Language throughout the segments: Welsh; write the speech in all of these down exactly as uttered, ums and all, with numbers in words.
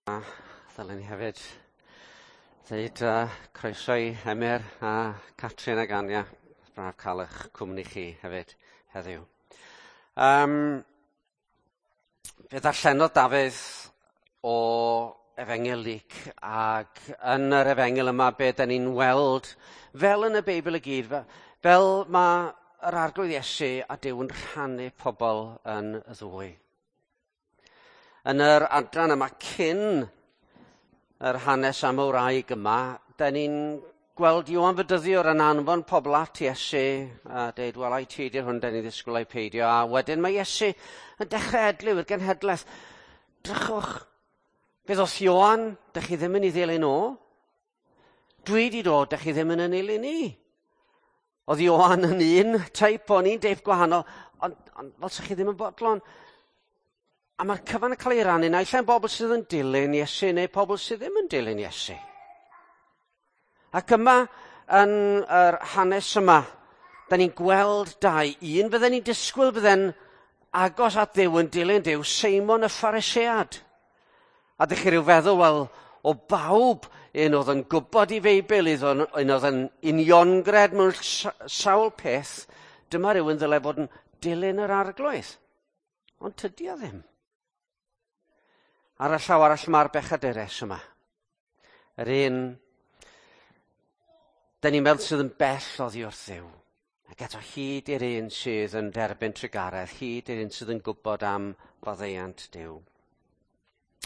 A ddylen ni hefyd ddeud uh, croeso i Emyr a Catrin ag Ania. Braf cael eich cwmni chi hefyd heddiw. Um, fe ddarllenodd Dafydd o Efengyl Luc, ac yn yr Efengyl yma be da ni'n weld, fel yn y Beibl i gyd, fel mae yr Arglwydd Iesu a Duw yn rhannu pobl yn y ddwy. Yn yr adran yma cyn yr hanes am y wraig yma, da ni'n gweld Ioan Fedyddiwr yn anfon pobl at Iesu a deud, wel, ai ti di'r hwn da ni'n ddisgwyl ai peidio. A wedyn mae Iesu yn dechrau edliw i'r genhedlaeth. Drychwch, fe ddoth Ioan, da chi ddim yn ei ddilyn o. Dwi di dod, da chi ddim yn yn nilyn i. Oedd Ioan yn un teip, o'n un deip gwahanol, ond, ond fel sa chi ddim yn bodlon. A mae'r cyfan yn cael ei rannu naill ai'n bobl sydd yn dilyn Iesu neu pobl sydd ddim yn dilyn Iesu. Ac yma, yn yr hanes yma, da ni'n gweld dau. Un fydden ni'n disgwyl fydden agos at Dduw yn dilyn Duw, Seimon y Pharisead. A dych chi ryw feddwl, wel, o bawb, un oedd yn gwybod i Feibl, un oedd yn uniongred mewn sawl peth, dyma rhywun ddylai fod yn dilyn yr Arglwydd. Ond tydi o ddim. Ar y llaw arall mae'r bechadures yma. Yr un, da ni'n meddwl sydd yn bell oddi wrth Dduw. Ac eto hyd i'r un sydd yn derbyn trugaredd, hyd i'r un sydd yn gwybod am faddeuant Duw.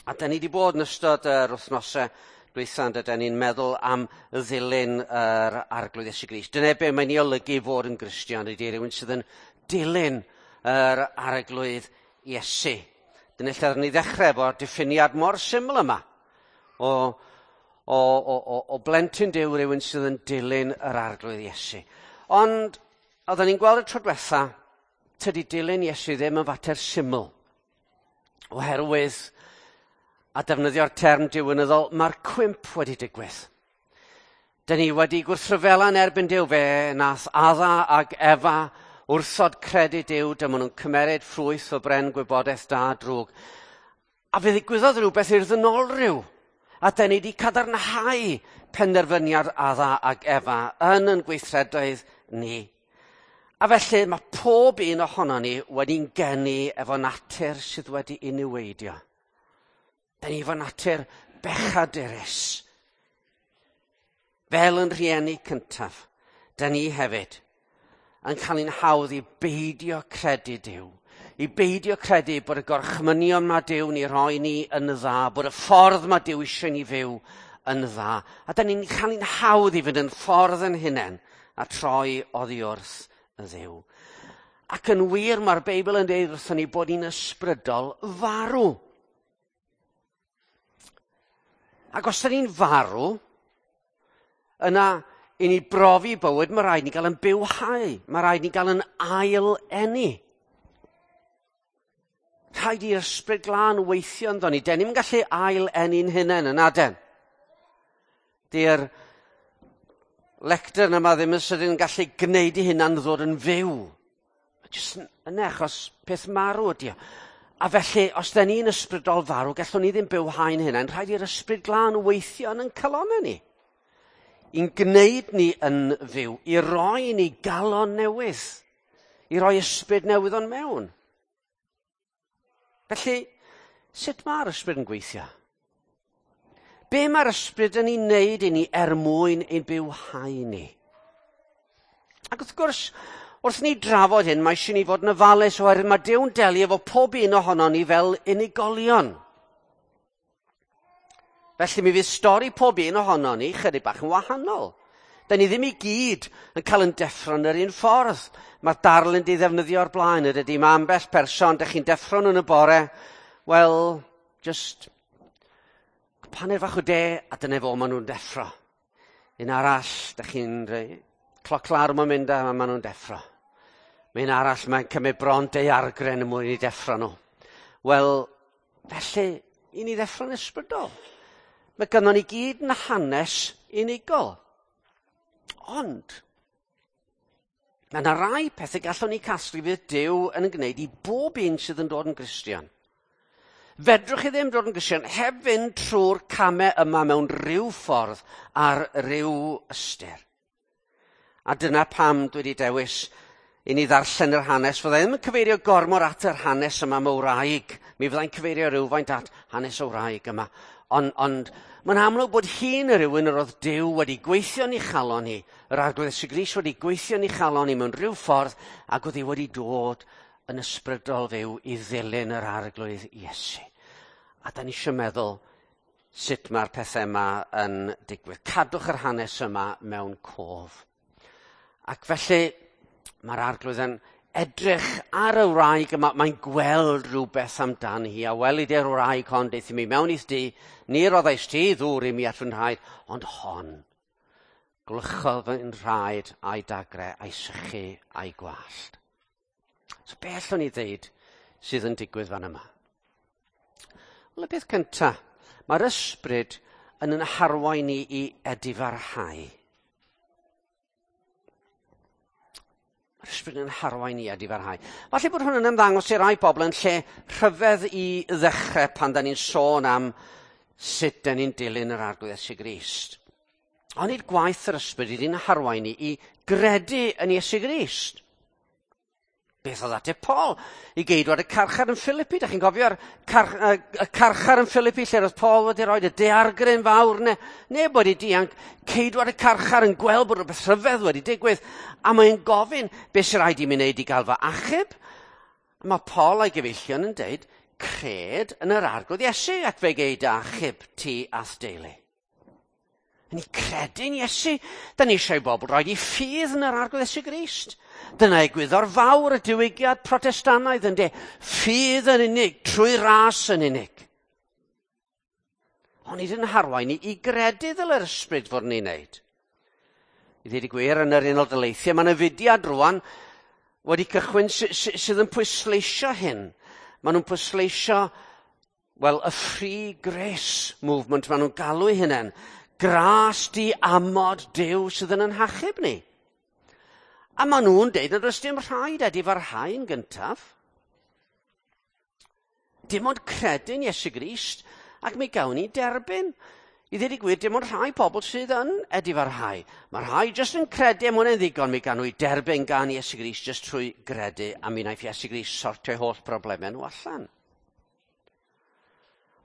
A da ni wedi bod yn ystod yr wythnosau dwytha, da ni'n meddwl am ddilyn yr Arglwydd Iesu Grist. Dyna be mae'n ei olygu fod yn Gristion, ydy rhywun sydd yn dilyn yr Arglwydd Iesu. Dyna lle oeddwn ni ddechrau efo'r diffiniad mor syml yma o, o, o, o, o blentyn Duw, rhywun sydd yn dilyn yr Arglwydd Iesu. Ond oeddwn ni'n gweld y tro diwetha, tydi dilyn Iesu ddim yn fater syml. Oherwydd, a defnyddio'r term diwinyddol, mae'r cwymp wedi digwydd. Dyn ni wedi gwrthryfela yn erbyn Duw, fe nath Adda ag Efa wrthod credu Duw, dyma nhw'n cymeryd ffrwyth o bren gwybodaeth da drwg. A fe ddigwyddodd rhywbeth i'r ddynolryw. A dyn ni wedi cadarnhau penderfyniad Adda ag Efa yn yn gweithredoedd ni. A felly mae pob un ohono ni wedi'n geni efo natur sydd wedi ei niweidio. Dyn ni efo natur bechadurus. Fel yn rhieni cyntaf, dyn ni hefyd yn cael ein hawdd i beidio credu Duw, i beidio credu bod y gorchmynion mae Duw ni roi ni yn dda, bod y ffordd mae Duw eisiau ni fyw yn dda. A da ni'n cael ein hawdd i fynd yn ffordd yn hunain a troi oddi wrth y Dduw. Ac yn wir mae'r Beibl yn dweud wrthon ni bod ni'n ysbrydol farw. Ac os da ni'n farw, yna i ni brofi bywyd, mae rhaid ni gael yn bywhau. Mae rhaid ni gael yn ail-eni. Rhaid i'r Ysbryd Glân weithio ynddo ni. Den ni'n gallu ail-eni'n hunain yn aden. Di'r lectern yma ddim yn sydyn yn gallu gwneud i hunan ddod yn fyw. Jyst yn achos peth marw ydi o. A felly, os da ni'n ysbrydol farw, gallwn ni ddim bywhau'n hunain. Rhaid i'r Ysbryd Glân weithio yn ein calonnau ni. I'n gwneud ni yn fyw, i roi ni galon newydd, i roi ysbryd newydd o'n mewn. Felly, sut mae'r ysbryd yn gweithio? Be mae'r ysbryd yn ei wneud i ni er mwyn ein bywhau ni? Ac wrth gwrs, wrth ni drafod hyn, mae eisiau ni fod yn ofalus oherwydd mae Duw'n delio efo pob un ohonon ni fel unigolion. Felly mi fydd stori pob un ohono ni chydig bach yn wahanol. Da ni ddim i gyd yn cael yn deffro yn yr un ffordd. Mae'r darlun di ddefnyddio o'r blaen, ydy. Mae ambell person, da chi'n deffro yn y bore, wel, just paned fach o de, a dyna fo maen nhw'n deffro. Un arall, da chi'n cloc larwm yn mynd a maen nhw'n deffro. Mae un arall, mae'n cymryd bron daeargryn yn mwyn i deffro nhw. Wel, felly, i ni ddeffro'n ysbrydol. Mae gynnon ni gyd yn hanes unigol. Ond, mae yna rai pethau gallwn ni casglu fydd Duw yn gwneud i bob un sydd yn dod yn Gristion. Fedrwch chi ddim dod yn Gristion heb fynd trwy'r camau yma mewn rhyw ffordd ar ryw ystyr. A dyna pam dwi wedi dewis i ni ddarllen yr hanes. Fyddai ddim yn cyfeirio gormod at yr hanes yma am y wraig. Mi fyddai'n cyfeirio rhywfaint at hanes y wraig yma. Ond, ond mae'n amlwg bod hi'n rhywun yr oedd Duw wedi gweithio yn ei chalon hi. Yr Arglwydd Iesu Grist wedi gweithio yn ei chalon hi mewn rhyw ffordd ac oedd hi wedi dod yn ysbrydol fyw i ddilyn yr Arglwydd Iesu. A da ni eisiau meddwl sut mae'r pethau yma yn digwydd. Cadwch yr hanes yma mewn cof. Ac felly mae'r Arglwydd yn edrych ar y wraig yma, mae'n gweld rhywbeth amdani hi, a weli di'r wraig hon, daeth i mi mewn i'th dŷ, ni roddaist ti ddŵr i mi at fy nhraed, ond hon, gwlychodd fy nhraed a'i dagre, a'i sychu a'i gwallt. So be allwn ni ddeud sydd yn digwydd fan yma? Wel, y peth cyntaf, mae'r ysbryd yn yn harwain ni i edifarhau. Mae'r ysbryd yn harwain ni edifarhau. Falle bod hwn yn ymddangos i rai bobl yn lle rhyfedd i ddechrau pan da ni'n sôn am sut da ni'n dilyn yr Arglwydd Iesu Grist. Ond nid gwaith yr ysbryd ydy'n harwain ni i gredu yn Iesu Grist. Beth oedd ateb Paul i geidwad y carchar yn Philippi? Da chi'n cofio'r car, y carchar yn Philippi lle roedd Paul wedi rhoi y daeargryn fawr ne, neb wedi dianc. Ceidwad y carchar yn gweld bod rhywbeth rhyfedd wedi digwydd a mae'n gofyn beth sy'n rhaid i mi wneud i gael fy achub. A mae Paul a'i gyfeillion yn deud, cred yn yr Arglwydd Iesu ac fe gei dy achub ti a'th deulu. Ni credu'n Iesu. Da ni eisiau bobl roed i ffydd yn yr Arglwydd Iesu Grist. Dyna egwyddor fawr y diwygiad Protestannaidd yn de. Ffydd yn unig, trwy ras yn unig. Ond nid yn harwain ni i gredu ddyle'r ysbryd fod ni'n neud. I ddweud y gwir, yn yr Unol Daleithiau, mae yna fudiad rwan wedi cychwyn sydd yn pwysleisio hyn. Maen nhw'n pwysleisio, wel, y Free Grace Movement, maen nhw'n galw eu hunain. Gras di amod Duw sydd yn ein hachub ni. A maen nhw'n deud nad oes dim rhaid edifarhau'n gyntaf. Dim ond credu'n Iesu Grist ac mi gawn ni derbyn. I ddweud y gwir, dim ond rhai pobl sydd yn edifarhau. Mae rhai jyst yn credu am hwnna'n ddigon, mi gawn nhw i derbyn gan Iesu Grist jyst trwy gredu, a mi wnaeth Iesu Grist sortio'u holl broblemau nhw allan.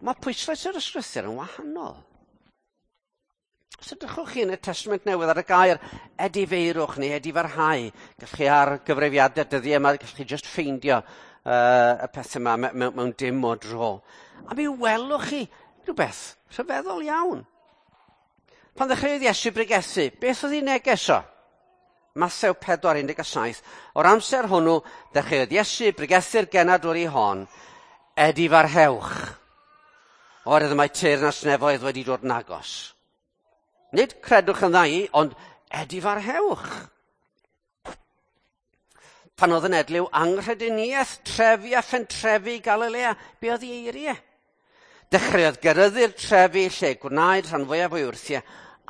Mae pwyslais yr ysgrythur yn wahanol. Os edrychwch chi yn y Testament Newydd ar y gair edifeirwch neu edifarhau, gallwch chi ar gyfrifiadau dyddiau yma, gallwch chi just ffeindio uh, y pethau yma mewn, mewn dim o dro. A mi welwch chi rhywbeth rhyfeddol iawn. Pan ddechreuodd Iesu bregethu, beth oedd ei neges o? Mathew pedwar un deg saith. O'r amser hwnnw, dechreuodd Iesu bregethu'r genadwri hon, edifarhewch. Oherwydd mae teyrnas nefoedd wedi dod yn agos. Nid credwch yn dda, ond edifarhewch. Pan oedd yn edliw anghrediniaeth trefi a phentrefi Galilea, be oedd ei eiriau? Dechreuodd geryddu'r trefi lle gwnaed rhan fwyaf o'i wrthiau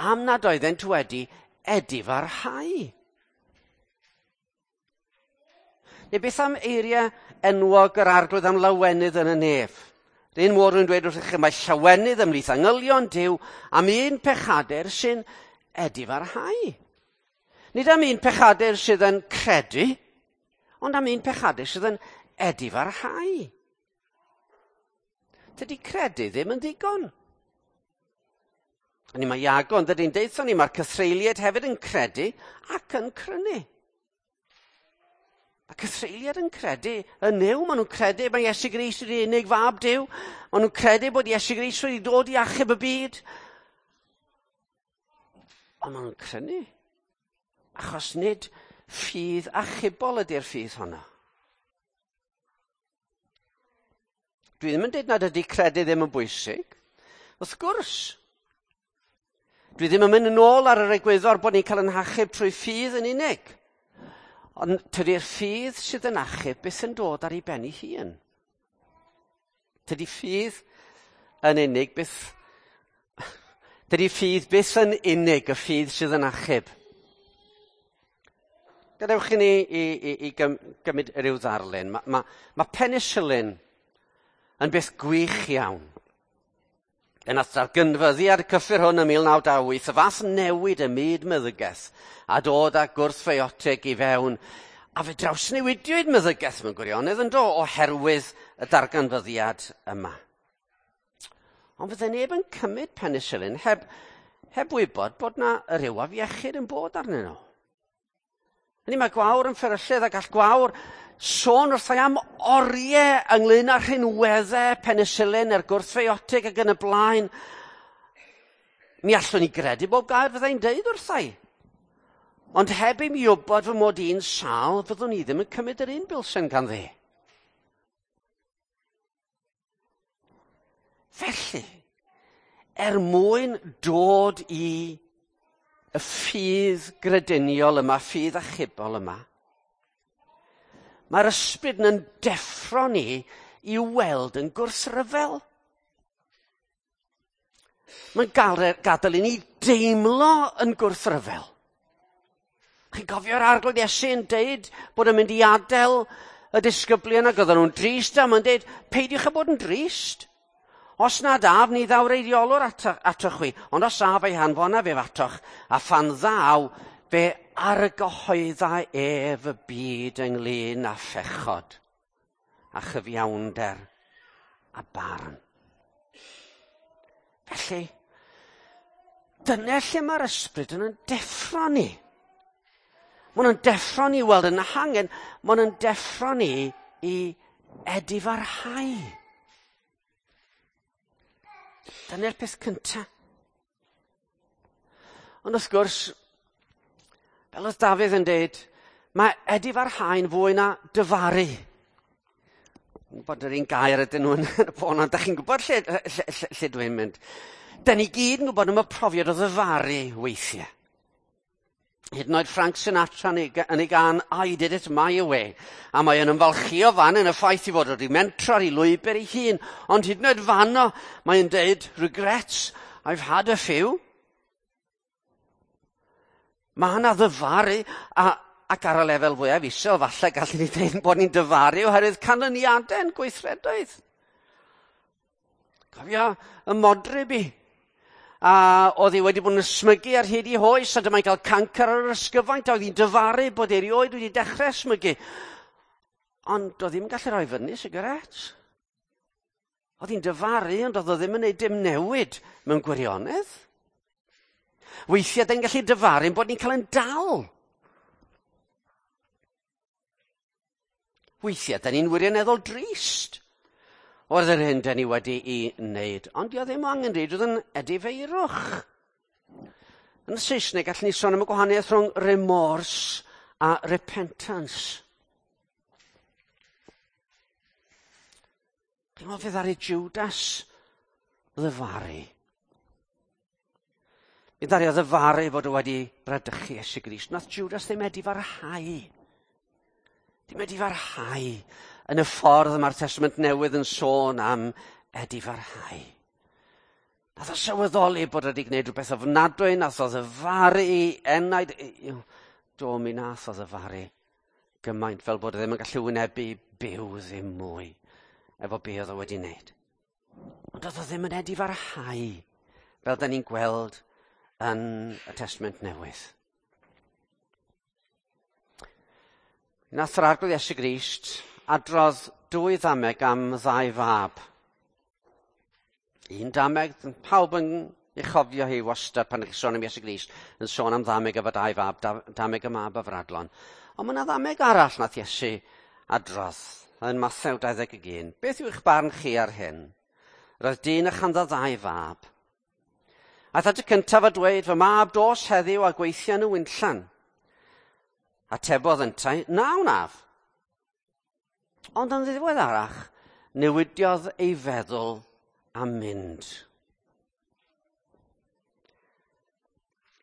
am nad oeddent wedi edifarhau. Neu beth am eiriau enwog yr Arglwydd am lawenydd yn y nef? Yr un môr yn dweud wrthych chi, mae llawenydd ymhlith angylion Duw am un pechadur sy'n edifarhau. Nid am un pechadur sydd yn credu, ond am un pechadur sydd yn edifarhau. Dydy credu ddim yn ddigon. A ni mae Iago yn dydy'n deutha ni, mae'r cythreuliaid hefyd yn credu ac yn crynu. Mae cythreuliaid yn credu yn Nuw, maen nhw'n credu mae Iesu Grist ydy'r unig fab Duw, maen nhw'n credu bod Iesu Grist wedi dod i achub y byd. Ond maen nhw'n crynu, achos nid ffydd achubol ydy'r ffydd honno. Dwi ddim yn dweud nad ydy credu ddim yn bwysig. Wrth gwrs, dwi ddim yn mynd yn ôl ar yr egwyddor bod ni'n cael ein hachub trwy ffydd yn unig. Ond tydi'r ffydd sydd yn achub byth yn dod ar ei ben ei hun. Tydi ffydd yn unig byth... Tydi ffydd byth yn unig y ffydd sydd yn achub. Gadewch i ni i, i, i gymryd rhyw ddarlun. Mae ma, ma penicillin yn beth gwych iawn. Yn darganfyddiad y cyffur hwn ym mil naw dau wyth, y fath newid ym myd meddygaeth a dod â gwrthfiotig i fewn, a fe drawsnewidiwyd meddygaeth mewn gwirionedd yn do oherwydd y darganfyddiad yma. Ond fydde neb yn cymryd penicillin heb, heb wybod bod na ryw afiechyd yn bod arnyn nhw. Hynny mae Gwawr yn fferyllydd a gall Gwawr sôn wrthai am oriau ynglyn â rhinweddau penicillin a'r gwrthfiotig ac yn y blaen. Mi allwn ni gredu bob gair fyddai'n deud wrthai. Ond heb i mi wybod fy mod i'n sâl, fyddwn i ddim yn cymryd yr un bilsen ganddi. Felly, er mwyn dod i y ffydd grediniol yma, ffydd achubol yma, mae'r ysbryd yn deffro ni i weld yn gwrthryfel. Mae'n gadael i ni deimlo yn gwrthryfel. Chi'n cofio'r Arglwydd Iesu yn deud bod yn mynd i adael y disgyblion ac oedden nhw'n drist, a mae'n deud, peidiwch â bod yn drist. Os nad af, ni ddaw'r eiriolwr ato, atoch chwi, ond os af ei hanfonaf ef atoch, a phan ddaw, fe argyhoedda ef y byd ynglyn â phechod, a chyfiawnder, a barn. Felly, dyna lle mae'r ysbryd yn deffro ni. Maen nhw'n deffro ni i weld yn hangen, maen nhw'n deffro ni i edifarhau. Dyna'r peth cyntaf. Ond wrth gwrs, fel oedd Dafydd yn deud, mae edifarhau'n fwy na dyfaru. Dwi'n gwybod yr un gair ydyn nhw yn y bôn, ond da chi'n gwybod lle, lle, lle, lle dwi'n mynd. Da ni gyd yn gwybod am y profiad o ddyfaru weithiau. Hyd yn oed Frank Sinatra yn ei gân I Did It My Way. A mae yn ymfalchio fan yn y ffaith i fod wedi mentro ar ei lwybr ei hun. Ond hyd yn oed fanno, mae'n deud, regrets, I've had a few. Mae yna ddyfaru, a, ac ar y lefel fwyaf isel, falle gallwn ni dweud bod ni'n dyfaru oherwydd canlyniadau yn gweithredoedd. Cofio y modryb i. A oedd hi wedi bod yn ysmygu ar hyd ei hoes, a dyma'n cael cancr ar yr ysgyfaint, a oedd hi'n dyfaru bod ei erioed wedi dechrau ysmygu. Ond oedd ddim yn gallu rhoi fyny sigaret. Oedd hi'n dyfaru, ond oedd o ddim yn gwneud dim newid mewn gwirionedd. Weithiau, da ni'n gallu dyfaru bod ni'n cael yn dal. Weithiau, da ni'n wirioneddol drist o'r yr hyn da ni wedi'i wneud. Ond dio ddim angen rhaid oedd yn edifeirwch. Yn y Saesneg, gallwn ni sôn am y gwahaniaeth rhwng remorse a repentance. Chi'n meddwl fe ddaru Judas ddyfaru? Mi ddaru o ddyfaru fod o wedi bradychu Iesu Grist. Nath Judas ddim edifarhau. Ddim edifarhau yn y ffordd mae'r Testament Newydd yn sôn am edifarhau. Nath o sylweddoli bod wedi gwneud rhywbeth ofnadwy, nath o ddyfaru i enaid. Do, mi nath o ddyfaru gymaint fel bod e ddim yn gallu wynebu byw ddim mwy efo be oedd o wedi wneud. Ond oedd o ddim yn edifarhau fel da ni'n gweld yn y Testament Newydd. Nath yr Arglwydd Iesu Grist adrodd dwy ddameg am ddau fab. Un dameg, pawb yn ei chofio hi wastad pan ydych chi'n sôn am Iesu Grist, yn sôn am ddameg efo dau fab, dameg y mab a Fradlon. Ond mae yna ddameg arall nath Iesu adrodd yn Mathew dau ddeg un. Beth yw eich barn chi ar hyn? Roedd dyn a chanddo ddau fab. Aeth at y cyntaf a dweud, fy mab dos heddiw a gweithio yn y winllan. Atebodd yntau, na wnaf. Ond yn ddiweddarach, newidiodd ei feddwl a mynd.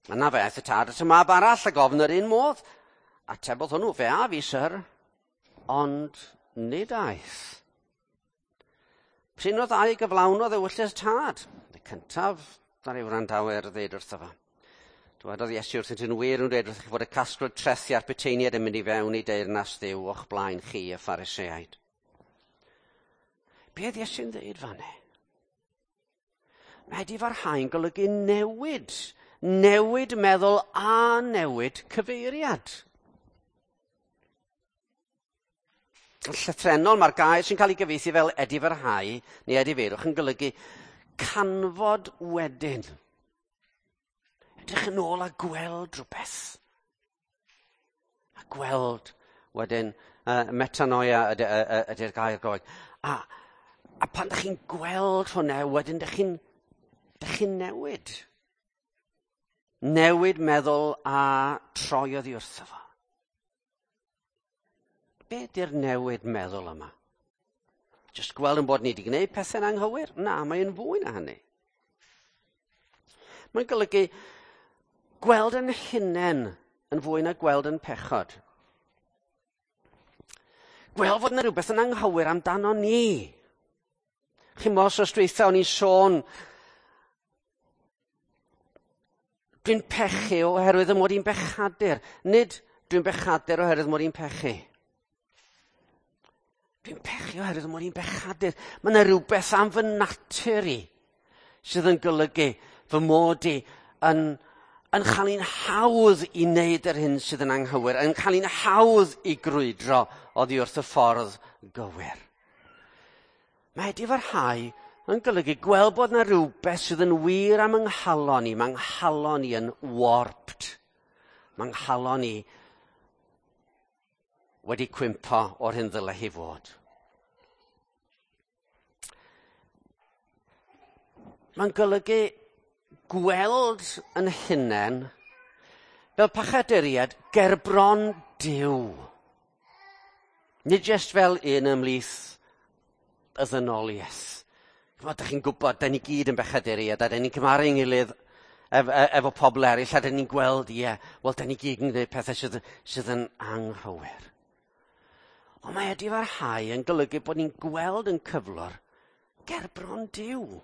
Yna fe aeth y tad at y mab arall a gofyn yr un modd. Atebodd hwnnw, fe a fi, syr, ond nid aeth. Prin o ddau gyflawnodd ewyllys tad. Y cyntaf, ddaru wrandawyr ddeud wrtho fo. Dywedodd Iesu wrthynt, yn wir yn dweud wrthych chi fod y casglwr trethi a'r puteiniaid yn mynd i fewn i deyrnas Dduw o'ch blaen chi y Phariseaid. Be oedd Iesu'n dweud fanne? Mae edifarhau'n golygu newid. Newid meddwl a newid cyfeiriad. Yn llythrennol, mae'r gair sy'n cael ei gyfieithu fel edifarhau neu edifeirwch yn golygu canfod wedyn. Edrych yn ôl a gweld rhywbeth. A gweld wedyn, uh, metanoia ydy'r gair Groeg. A, a pan ydych chi'n gweld hwnna, wedyn ydych chi'n ydych chi'n newid. Newid meddwl a troi oddi wrtho fo. Be ydy'r newid meddwl yma? Jyst gweld yn bod ni wedi gwneud pethau'n anghywir? Na, mae'n fwy na hynny. Mae'n golygu gweld yn hunain yn fwy na gweld yn pechod. Gweld fod yna rhywbeth yn anghywir amdano ni. Chi'n meddwl, os dweitha o'n i'n sôn, dwi'n pechu oherwydd y mod i'n bechadur. Nid dwi'n bechadur oherwydd mod i'n pechu. Dwi'n pechu oherwydd mod i'n bechadur. Mae yna rhywbeth am fy natur i sydd yn golygu fy mod i yn, yn chael ein hawdd i wneud yr hyn sydd yn anghywir, yn cael ein hawdd i grwydro oddi wrth y ffordd gywir. Mae edifarhau yn golygu gweld bod yna rhywbeth sydd yn wir am yng nghalon i. Mae nghalon i yn warped. Mae nghalon i wedi cwympo o'r hyn ddyle hi fod. Mae'n golygu gweld yn hunain fel pechaduriaid gerbron Duw. Nid jyst fel un ymhlith y ddynoliaeth. Chimod, chi'n gwybod, da ni gyd yn bechaduriaid, a da ni'n cymharu'n gilydd ef, efo pobl eraill, a da ni'n gweld, ie, wel, da ni gyd yn gwneud pethau sydd, sydd yn anghywir. Ond mae edifarhau yn golygu bod ni'n gweld yn cyflwr gerbron Duw.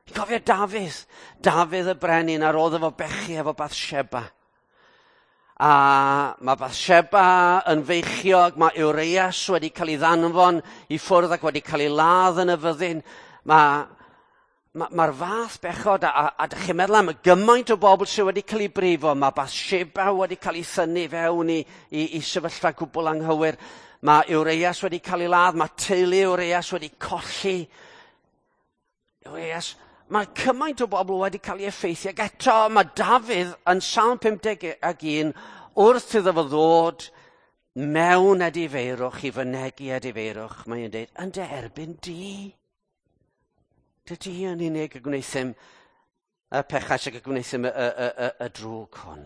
Chi'n cofio Dafydd? Dafydd y brenin ar ôl efo bechu efo Bathsheba. A mae Bathsheba yn feichiog, mae Urias wedi cael ei ddanfon i ffwrdd ac wedi cael ei ladd yn y fyddin. Mae'r ma, ma fath bechod, a, a, a dych chi'n meddwl am gymaint o bobl sydd wedi cael ei brifo, mae Bathsheba wedi cael ei thynnu fewn i, i, i sefyllfa gwbl anghywir. Mae Urias wedi cael ei ladd, mae teulu Urias wedi colli. Urias, mae cymaint o bobl wedi cael ei effeithio. Ac eto mae Dafydd yn Salm pum deg ac un wrth iddo fo ddod mewn edifeirwch i fynegi edifeirwch, mae'n dweud, yn dy erbyn di. Dydy yn unig y gwnaethum y pechais ac y gwnaethum y, y, y, y, y drwg hwn.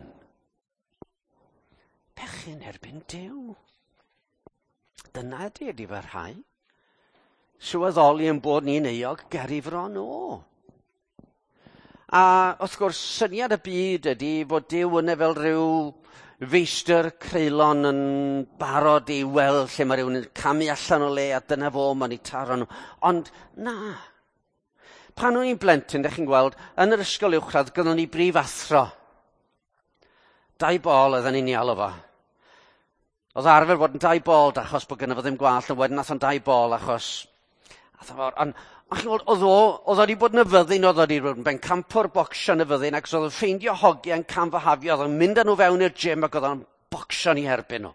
Pechu'n erbyn Duw. Dyna ydy edifarhau. Sylweddoli yn bod ni'n euog ger ei fron o. A wrth gwrs, syniad y byd ydy fod Duw yna fel rhyw feistr creulon yn barod i weld lle mae rhywun yn camu allan o le a dyna fo, mae'n ei taro nhw. Ond na. Pan o'n i'n blentyn, dych chi'n gweld, yn yr ysgol uwchradd, gyda ni brif athro. Dau bol oedden ni'n ei alw fo. Oedd arfer bod yn dau bol achos bod gynno fo ddim gwallt, ond wedyn nath o'n dau bol achos... Ond ond chi'n gweld, oedd o, oedd o wedi bod yn y fyddin, oedd o wedi bod yn bencampwr bocsio yn y fyddin, ac oedd o'n ffeindio hogiau yn camfahafio, oedd o'n mynd â nhw fewn i'r gym ac oedd o'n bocsio ni herbyn nhw.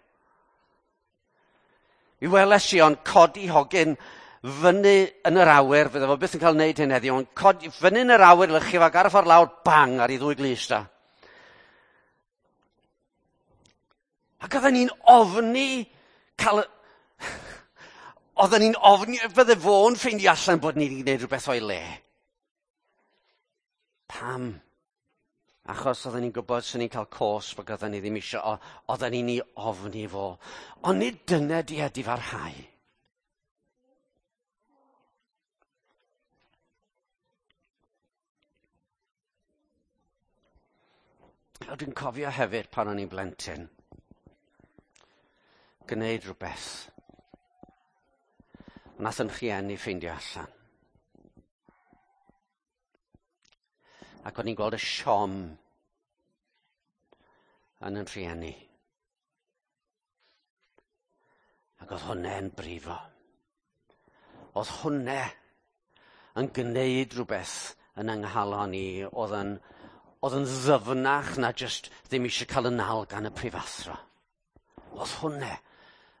Mi weles i o'n codi hogyn fyny yn yr awyr, fydde fo byth yn cael wneud hyn heddiw, ond codi fyny yn yr awyr, lychu fo ar y ffordd lawr, bang, ar ei ddwy glust da. Ac oedden ni'n ofni cael... Oedden ni'n ofni fydde fo'n ffeindio allan bod ni wedi gwneud rhywbeth o'i le. Pam? Achos oedden ni'n gwybod sy'n ni'n cael cosb ac oedden ni ddim eisiau, oedden ni'n ei ofni fo. Ond nid dyna di edifarhau. Dwi'n cofio hefyd pan o'n i'n blentyn, gwneud rhywbeth. Nath yn rhieni ffeindio allan. Ac o'n i'n gweld y siom yn yn rhieni. Ac oedd hwnna'n brifo. Oedd hwnne yn gwneud rhywbeth yn yng nghalon i, oedd yn, oedd yn ddyfnach na jyst ddim eisiau cael y nal gan y prifathro. Oedd hwnne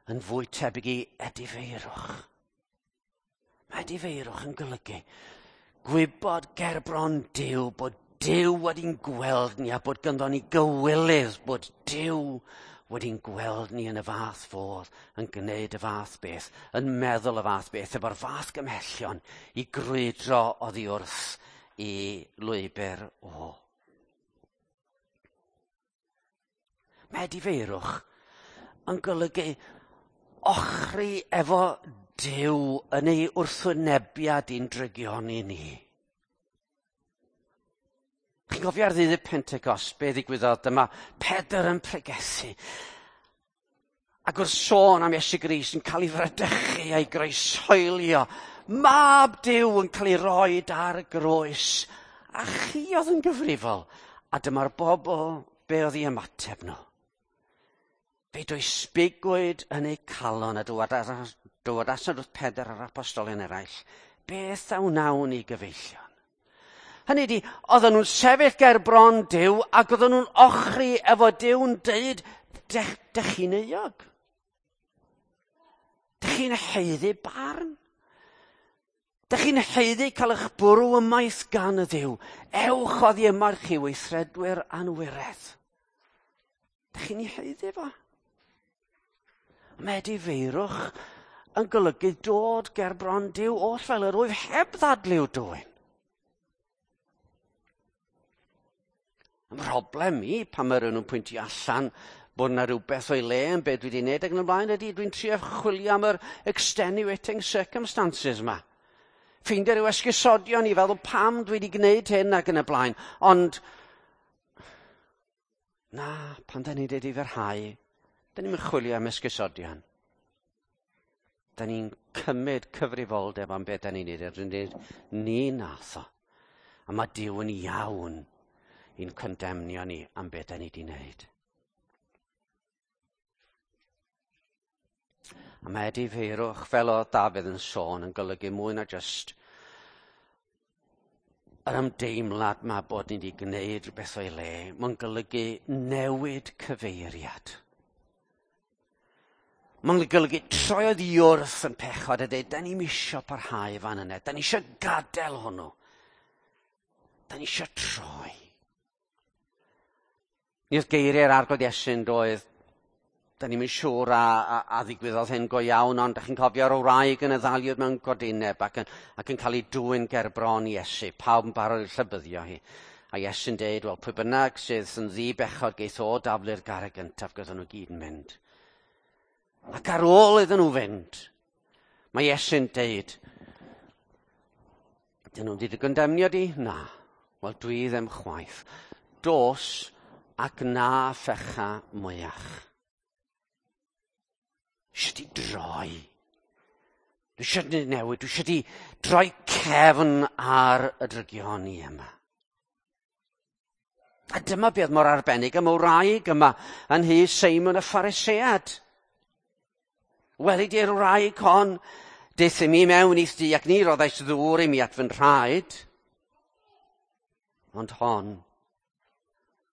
yn fwy tebyg i edifeirwch. Mae edifeirwch yn golygu gwybod gerbron Duw bod Duw wedi'n gweld ni a bod ganddo ni gywilydd bod Duw wedi'n gweld ni yn y fath fodd, yn gwneud y fath beth, yn meddwl y fath beth, efo'r fath gymhellion i grwydro oddi wrth i lwybr o. Mae edifeirwch yn golygu ochri efo Duw yn ei wrthwynebiad i'n drygioni ni. Chi'n cofio ar ddydd y Pentecost, be ddigwyddodd? Dyma Pedr yn pregethu. Ac wrth sôn am Iesu Grist yn cael ei fradychu a'i groeshoelio, mab Duw yn cael ei roed ar y groes. A chi oedd yn gyfrifol. A dyma'r bobl, be oedd ei ymateb nhw? Fe dwysbigwyd yn eu calon a dywedasant wrth Pedr a'r apostolion eraill, beth a wnawn ni gyfeillion? Hynny ydi, oedden nhw'n sefyll ger bron Duw ac oedden nhw'n ochri efo Duw'n deud, dech, dech chi'n euog? Dech chi'n haeddu barn? Dech chi'n haeddu cael eich bwrw ymaith gan y Dduw? Ewch oddi yma chi weithredwyr anwiredd. Dech chi'n ei haeddu fo? Mae edifeirwch yn golygu dod ger bron Duw oll fel yr wyf heb ddadliw dwyn. Mhroblem i pan mae rhywun yn pwyntio allan bod yna rhywbeth o'i le yn beth dwi wedi wneud ac yn y blaen ydy dwi'n trio chwilio am yr extenuating circumstances yma. Ffeindio rhyw esgusodion i feddwl pam dwi wedi gwneud hyn ac yn y blaen. Ond na, pan da ni'n dweud i fyrhau, da ni'n chwilio am esgusodion. Da ni'n cymryd cyfrifoldeb am beth da ni'n neud. Dwi'n dweud, ni nath o. A mae Duw yn iawn i'n condemnio ni am beth da ni wedi wneud. A mae edifeirwch, fel oedd Dafydd yn sôn, yn golygu mwy na jyst yr ymdeimlad ma bod ni wedi gwneud rhywbeth o'i le. Mae'n golygu newid cyfeiriad. Mae'n golygu troi oddi wrth yn pechod a dweud, da ni'm isio parhau fan yna, da ni isio gadael hwnnw. Da ni isio troi. Ni oedd geiriau'r Arglwydd Iesu'n doedd, da ni'm yn siŵr a, a, a ddigwyddodd hyn go iawn, ond da chi'n cofio'r wraig yn y ddaliwyd mewn godineb ac yn, ac yn cael ei dwyn ger bron Iesu, pawb yn barod i'w llybyddio hi. A Iesu'n deud, wel, pwy bynnag sydd yn ddi-bechod geith o daflu'r garreg gyntaf, gyda nhw gyd yn mynd. Ac ar ôl iddyn nhw fynd, mae Iesu'n deud, dyn nhw'n wedi dy gondemnio di? Na. Wel, dwi ddim chwaith. Dos ac na phecha mwyach. Dwi eisiau di droi. Dwi eisiau di newid. Dwi eisiau di droi cefn ar y drygioni yma. A dyma beth mor arbennig am y wraig yma yn nhŷ Seimon y Pharisead. Weli di'r wraig hon, daeth i mi mewn i'th dŷ ac ni roddais ddŵr i mi at fy nhraed. Ond hon,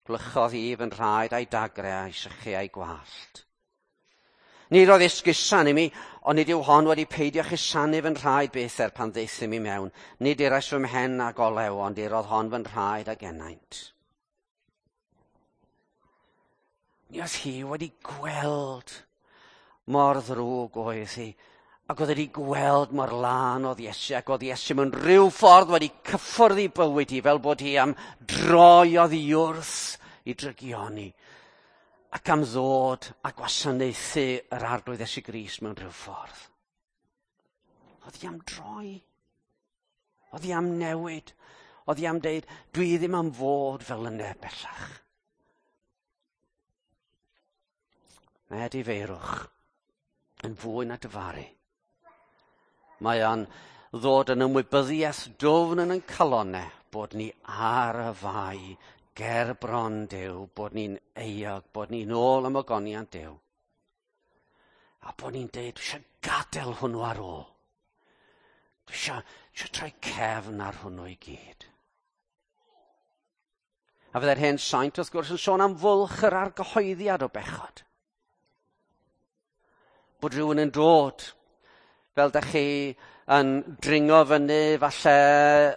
gwlychodd hi fy nhraed a'i dagre a'i sychu a'i gwallt. Ni roedd esgusan i mi, ond nid yw hon wedi peidio chusanu fy nhraed byth er pan ddaeth i mi mewn. Nid irais fy mhen ag olew, ond irodd hon fy nhraed ag ennaint. Mi oedd hi wedi gweld mor ddrwg oedd hi, ac oedd wedi gweld mor lân oedd Iesu, ac oedd Iesu mewn rhyw ffordd wedi cyffwrdd ei bywyd hi, fel bod hi am droi oddi wrth i drygioni, ac am ddod a gwasanaethu yr Arglwydd Iesu Grist mewn rhyw ffordd. Oedd hi am droi. Oedd hi am newid. Oedd hi am deud, dwi ddim am fod fel yna bellach. Mae edifeirwch yn fwy na dyfaru. Mae o'n ddod yn ymwybyddiaeth dwfn yn ein calonnau bod ni ar y fai ger bron Duw, bod ni'n euog, bod ni'n ôl am ogoniant Duw. A bod ni'n deud, dwi eisiau gadael hwnnw ar ôl. Dwi eisiau, eisiau troi cefn ar hwnnw i gyd. A fydde'r hen saint wrth gwrs yn sôn am fwlch yr argyhoeddiad o bechod. Bod rhywun yn dod, fel dach chi yn dringo fyny falle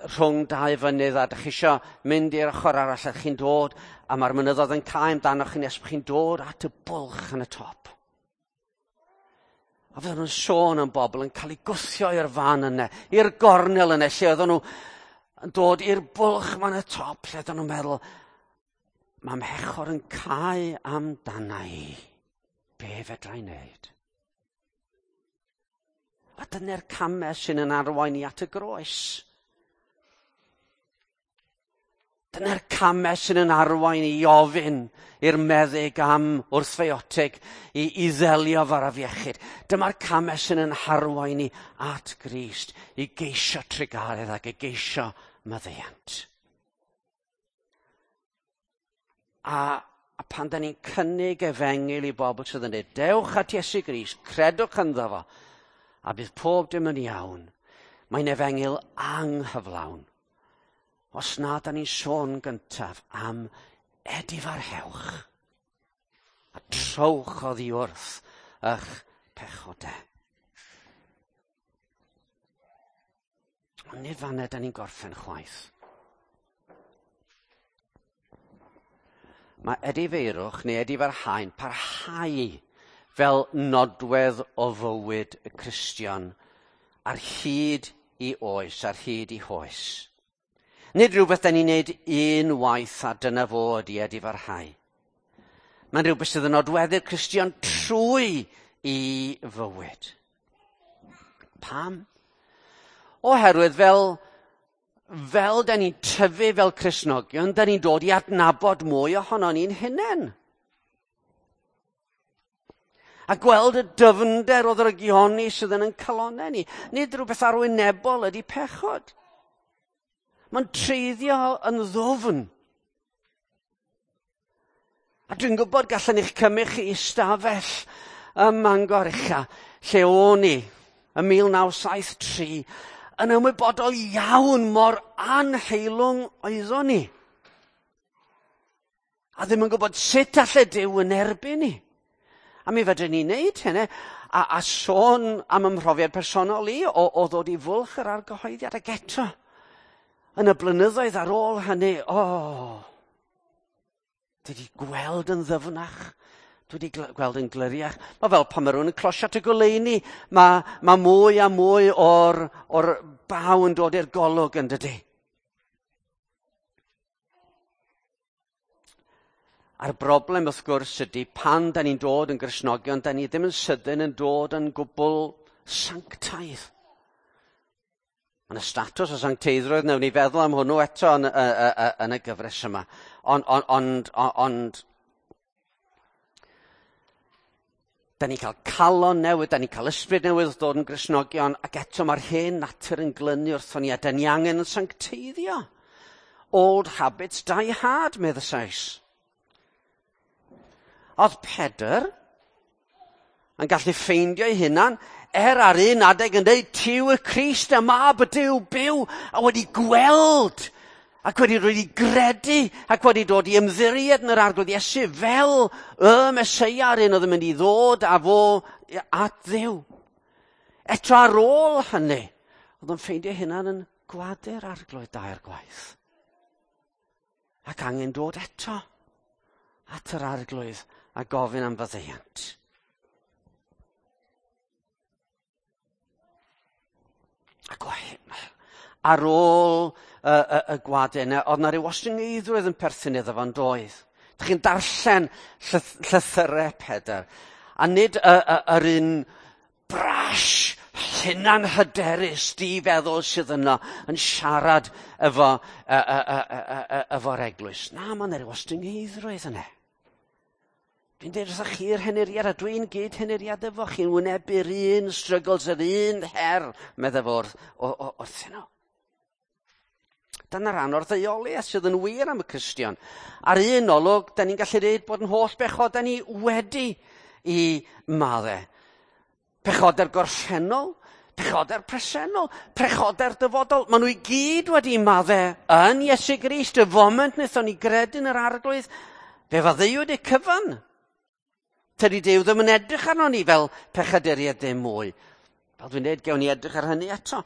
rhwng dau fynydd a dach chi isio mynd i'r ochr arall a chi'n dod a mae'r mynyddoedd yn cau amdanoch chi nes bod chi'n dod at y bwlch yn y top. A fydden nhw'n sôn am bobl yn cael eu gwthio i'r fan yna, i'r gornel yna, lle oedden nhw yn dod i'r bwlch ma'n y top, lle oedden nhw'n meddwl, mae mhechor yn cau amdana i. Be fedra i wneud? A dyna'r camau sy'n yn arwain i at y groes. Dyna'r camau sy'n yn arwain i ofyn i'r meddyg am wrthfiotig i, i ddelio fo'r afiechyd. Dyma'r camau sy'n yn harwain i at Grist, i geisio trugaredd ac i geisio maddeuant. A, a pan da ni'n cynnig efengyl i bobl sydd yn dweud, dewch at Iesu Grist, credwch ynddo fo, a bydd pob dim yn iawn. Mae'n efengyl anghyflawn. Os na, da ni'n sôn gyntaf am edifarhewch a trowch oddi wrth eich pechodau. Ond nid fan'na da ni'n gorffen chwaith. Mae edifeirwch neu edifarhau'n parhau fel nodwedd o fywyd y Cristion ar hyd i oes, ar hyd i hoes. Nid rhywbeth da ni'n neud un waith a dyna fod i edifarhau. Mae'n rhywbeth sydd yn nodweddu'r Cristion trwy i fywyd. Pam? Oherwydd fel, fel da ni'n tyfu fel Cristnogion, da ni'n dod i adnabod mwy ohonon ni'n hunain. A gweld y dyfnder o ddrygioni sydd yn ein calonnau ni. Nid rhywbeth arwynebol ydy pechod. Mae'n treiddio yn ddwfn. A dwi'n gwybod gallen i'ch cymryd chi i stafell ym Mangor ucha, lle o'n i ym mil naw saith tri, yn ymwybodol iawn mor anheilwng oeddwn ni. A ddim yn gwybod sut alle Duw yn erbyn ni. A mi fedrwn ni wneud hynny, a, a sôn am ymhrofiad personol i o, o ddod i fwlch yr argyhoeddiad ac eto. Yn y blynyddoedd ar ôl hynny, o, oh, dwi wedi gweld yn ddyfnach, dwi wedi gweld yn gliriach. Mae fel pan mae rhywun yn closio at y goleuni, mae, mae mwy a mwy o'r, o'r baw yn dod i'r golwg yn dydy. A'r broblem wrth gwrs ydy pan da ni'n dod yn Gristnogion, da ni ddim yn sydyn yn dod yn gwbl sanctaidd. Mae yna statws o sancteiddrwydd, wnawn ni feddwl am hwnnw eto yn, y, y, y, yn y gyfres yma. Ond, ond, ond, ond, da ni'n cael calon newydd, da ni'n cael ysbryd newydd wrth ddod yn Gristnogion, ac eto mae'r hen natur yn glynu wrthon ni, a da ni angen yn sancteiddio. Old habits die hard, medd y Sais. Oedd Pedr yn gallu ffeindio ei hunan, er ar un adeg yn dweud, ti yw y Crist, y mab y Duw byw, a wedi gweld, ac wedi dod i gredu, ac wedi dod i ymddiried yn yr Arglwydd Iesu fel y Meseia, yr un oedd yn mynd i ddod â fo at Dduw. Eto ar ôl hynny, oedd yn ffeindio hunan yn gwadu'r Arglwydd dair gwaith. Ac angen dod eto at yr Arglwydd a gofyn am faddeuant. Ac ar ôl y, y, y gwadau yna, oedd na ryw ostyngeiddrwydd yn perthyn iddo fo'n doedd. Dych chi'n darllen llyth, llythyrau Pedr, a nid y, y, yr un brash hunan hyderus di-feddwl sydd yno yn siarad efo, e, e, e, e, efo'r eglwys. Na, mae yna ryw ostyngeiddrwydd yna. Dwi'n dweud wrthych chi'r henuriad, a dwi'n gyd henuriad efo chi'n wynebu'r un struggles, yr un her, meddai fo wrth, wrthyn nhw. Dyna rhan o'r ddeuoliaeth sydd yn wir am y Cristion. Ar un olwg, da ni'n gallu dweud bod yn holl bechodau ni wedi i maddau. Pechodau'r gorffennol, Pechodau'r presennol, pechodau'r dyfodol. Maen nhw i gyd wedi maddau yn Iesu Grist. Y foment wnaethon ni gredu yn yr Arglwydd, fe faddeuwyd y cyfan. Tydi Duw ddim yn edrych arno ni fel pechaduriaid ddim mwy. Fel dwi'n dweud, gewn ni edrych ar hynny eto.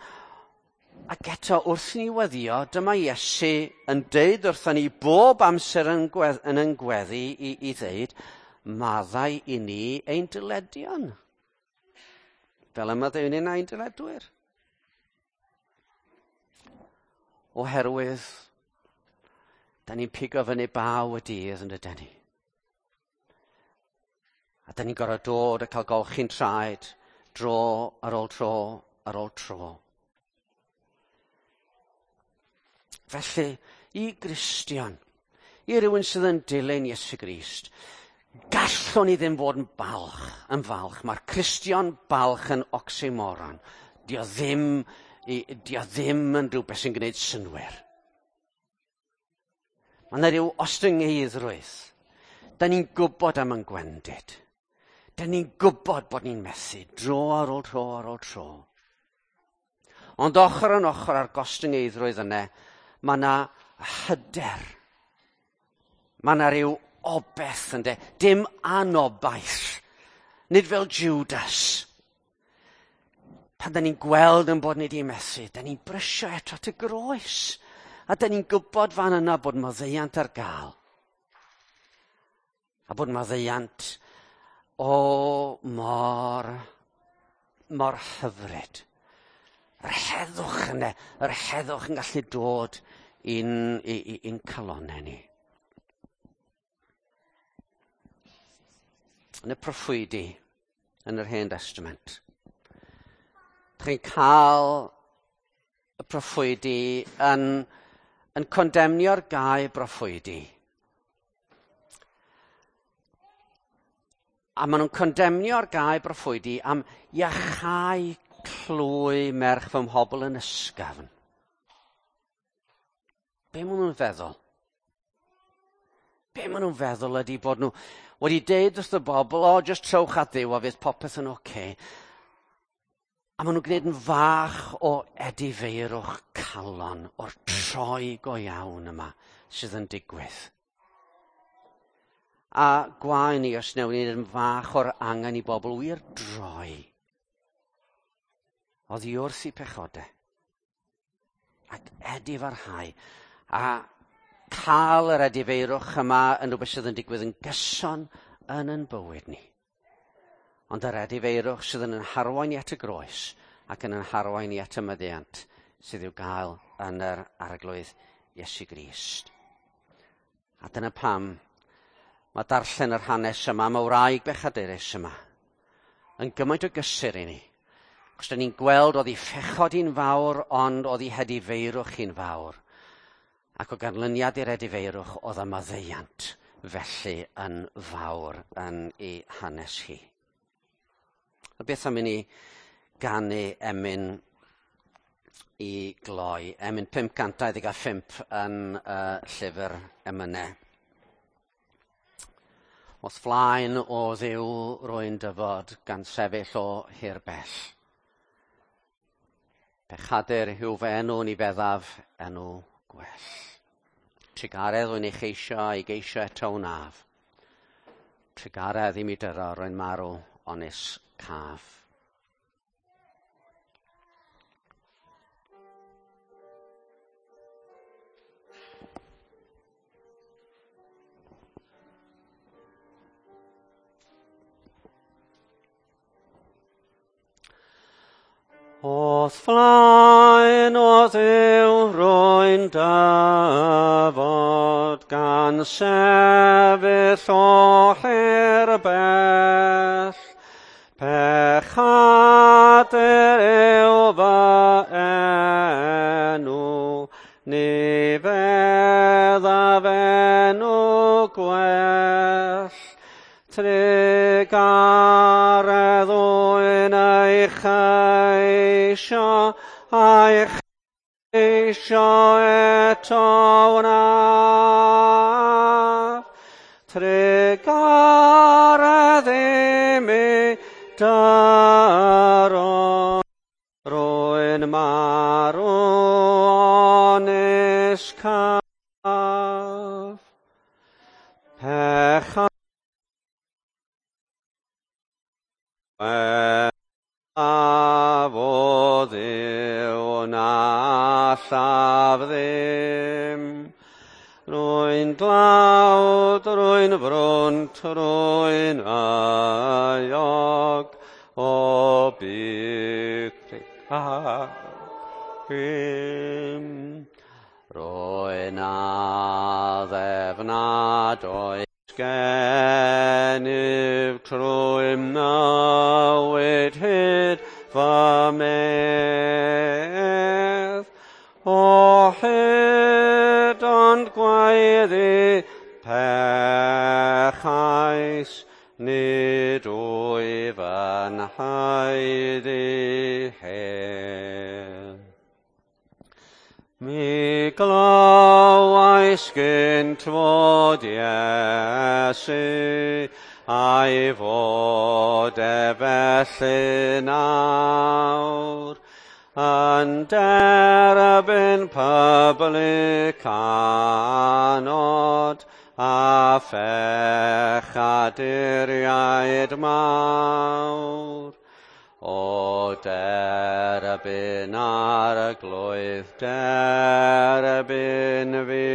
Ac eto, wrth ni weddio, dyma Iesu yn deud wrthon ni bob amser yn, gwedd, yn yn gweddi i, i ddeud, maddau i ni ein dyledion. Fel y maddeuwn ni'n ein dyledwyr. Oherwydd, da ni'n pigo fyny baw y dydd yn dydyn ni. A da ni'n gorfod dod a cael golchi'n traed dro ar ôl tro ar ôl tro. Felly, i Gristion, i rywun sydd yn dilyn Iesu Grist, gallwn ni ddim fod yn balch, yn falch. Mae'r Cristion balch yn oxymoron. Dio ddim, dio ddim yn rhywbeth sy'n gwneud synnwyr. Mae yna rhyw ostyngeiddrwydd. Da ni'n gwybod am yn gwendid. Da ni'n gwybod bod ni'n methu dro ar ôl tro ar ôl tro. Ond ochr yn ochr â'r gostyngeiddrwydd yna, mae yna hyder. Mae yna rhyw obeth ynde, dim anobaith. Nid fel Judas. Pan da ni'n gweld yn bod ni wedi methu, da ni'n brysio eto at y groes. A da ni'n gwybod fan yna bod maddeuant ar gael. A bod maddeuant o mor, mor hyfryd. Yr heddwch yna, yr heddwch yn gallu dod i'n, i'n calonnau ni. Yn y proffwydi, yn yr Hen Testament, chi'n cael y proffwydi yn, yn condemnio'r gau broffwydi. A maen nhw'n condemnio'r gau broffwydi am iachau clwy merch fy mhobl yn ysgafn. Be maen nhw'n feddwl? Be maen nhw'n feddwl ydy bod nhw wedi deud wrth y bobl, o, just trowch at Dduw a fydd popeth yn oce. Okay. A maen nhw'n gwneud yn fach o edifeirwch calon o'r troi go iawn yma sydd yn digwydd. A gwae ni os wnewn ni yn fach o'r angen i bobl wir droi oddi wrth eu pechodau ac edifarhau a cael yr edifeirwch yma yn rhywbeth sydd yn digwydd yn gyson yn yn bywyd ni. Ond yr edifeirwch sydd yn yn harwain i at y groes ac yn yn harwain i at y maddeuant sydd i'w gael yn yr Arglwydd Iesu Grist. A dyna pam mae darllen yr hanes yma, mae wraig bechadurus yma, yn gymaint o gysur i ni. Cos da ni'n gweld oedd ei phechod hi'n fawr, ond oedd ei hedifeirwch hi'n fawr. Ac o ganlyniad i'r edifeirwch oedd y maddeuant felly yn fawr yn ei hanes hi. A beth am i ni ganu emyn i gloi, emyn pump cant dau ddeg a phump yn uh, llyfr emynau. O'th flaen o Dduw rwy'n dyfod gan sefyll o hir bell. Pechadur yw fy enw ni feddaf enw gwell. Trugaredd rwy'n ei cheisio a'i geisio eto wnaf. Trugaredd i mi dyro rwy'n marw onis caf. O'th flaen o Dduw rwy'n dyfod gan sefyll o hir bell. Pechadur yw fy enw, ni feddaf enw gwell. Trugaredd wy'n ei cheisio, a'i cheisio eto wnaf. Trugaredd i mi dyro, marw onis caf pechad o Dduw na allaf ddim. Rwy'n dlawd, rwy'n frwnt, rwy'n euog o big hyn. Rwy'n addef nad oes gennyf trwy mywyd hyd fy medd. O hyd ond gwaeddi pechais, nid wyf yn haeddu hyn. Mi glywais gynt fod Iesu, a'i fod e felly nawr, yn derbyn publicanod a phechaduriaid mawr. O derbyn Arglwydd, derbyn fi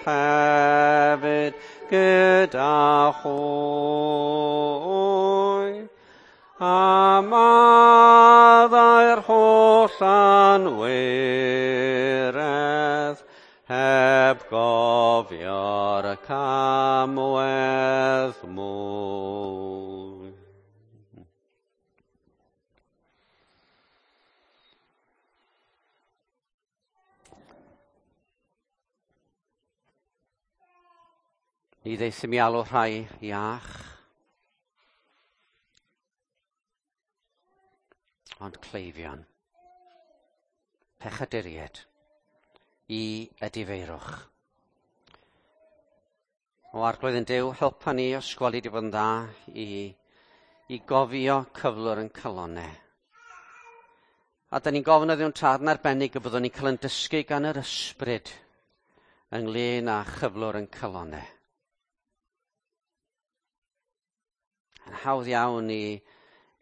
hefyd gyda hwy, a maddau'r holl anwiredd, heb gofio'r camwedd mwy. Ni ddaethum i alw rhai iach, ond cleifion, pechaduriaid, i edifeirwch. O Arglwydd yn Duw, helpa ni os gweli di fod yn dda i, i gofio cyflwr yn calonnau. A da ni'n gofyn o Dduw'n Tad yn arbennig y byddwn ni'n cael yn dysgu gan yr ysbryd ynglyn â chyflwr yn calonnau. Yn hawdd iawn i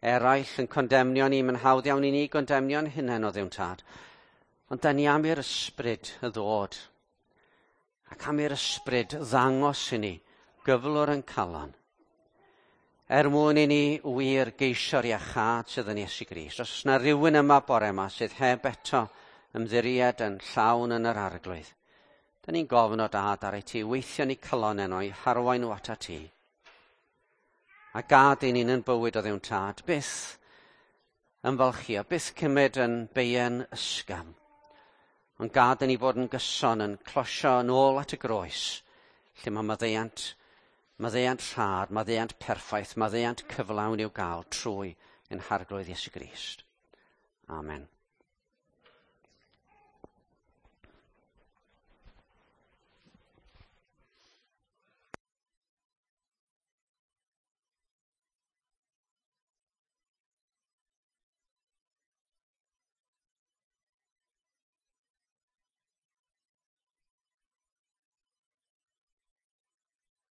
eraill yn condemnio ni, mae'n hawdd iawn i ni gondemnio'n hunain o Dduw'n Tad. Ond da ni am i'r ysbryd y ddod, ac am i'r ysbryd ddangos i ni gyflwr yn calon, er mwyn i ni wir geisio'r iachâd sydd yn Iesu Grist. Os yna rhywun yma bore yma sydd heb eto ymddiried yn llawn yn yr Arglwydd, da ni'n gofyn o Dad ar ei ti weithio ni calon enw i harwain nhw atat ti. A gad i ni'n yn bywyd o Dduw'n Tad, byth ymfalchio, byth cymryd yn beien ysgafn, ond gad i ni fod yn gyson yn closio yn ôl at y groes, lle mae maddeuant, maddeuant rhad, maddeuant perffaith, maddeuant cyflawn i'w gael trwy ein Harglwydd Iesu Grist. Amen.